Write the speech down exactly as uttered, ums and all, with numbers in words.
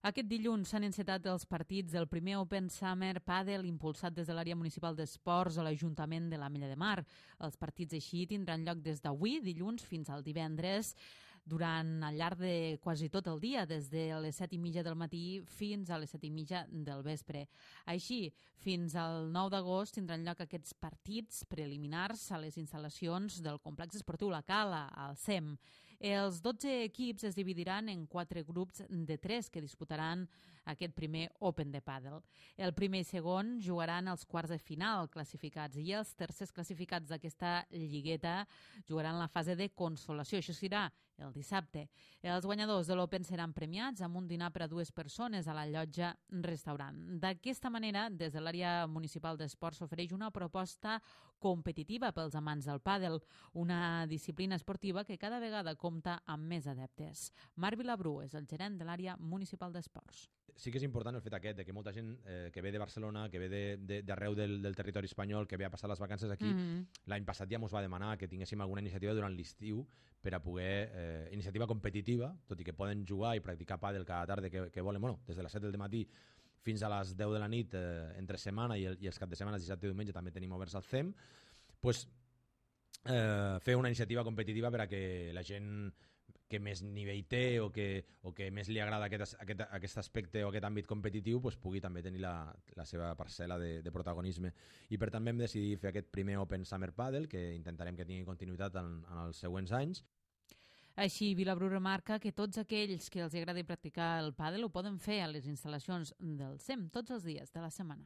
Aquest dilluns s'han encetat els partits del primer Open Summer Padel impulsat des de l'àrea municipal d'esports a l'Ajuntament de l'Ametlla de Mar. Els partits així tindran lloc des d'avui, dilluns, fins al divendres, durant al llarg de quasi tot el dia, des de les set i mitja del matí fins a les set i mitja del vespre. Així, fins al nou d'agost tindran lloc aquests partits preliminars a les instal·lacions del complex esportiu La Cala, al C E M. Els dotze equips es dividiran en quatre grups de tres que disputaran aquest primer Open de Padel. El primer i segon jugaran els quarts de final classificats i els tercers classificats d'aquesta lligueta jugaran la fase de consolació. Això serà el dissabte. Els guanyadors de l'Open seran premiats amb un dinar per a dues persones a la llotja restaurant. D'aquesta manera, des de l'àrea municipal d'esports s'ofereix una proposta competitiva pels amants del pàdel, una disciplina esportiva que cada vegada compta amb més adeptes. Marc Vilabrú és el gerent de l'àrea municipal d'esports. Sí que és important el fet aquest de que molta gent eh, que ve de Barcelona, que ve d'arreu de, de, del, del territori espanyol, que ve a passar les vacances aquí, mm-hmm. l'any passat ja ens va demanar que tinguéssim alguna iniciativa durant l'estiu per a poder, eh, iniciativa competitiva, tot i que poden jugar i practicar pàdel cada tarda que, que volen, bueno, des de les set del matí fins a les deu de la nit eh, entre setmana i, el, i els cap de setmana, dissabte i diumenge també tenim oberts al C E M, pues, eh, fer una iniciativa competitiva per a que la gent que més nivell té o que, o que més li agrada aquest, aquest, aquest aspecte o aquest àmbit competitiu pues, pugui també tenir la, la seva parcel·la de, de protagonisme. I per tant vam decidir fer aquest primer Open Summer Padel, que intentarem que tingui continuïtat en, en els següents anys. Així, Vilabrú remarca que tots aquells que els agradi practicar el pàdel ho poden fer a les instal·lacions del C E M tots els dies de la setmana.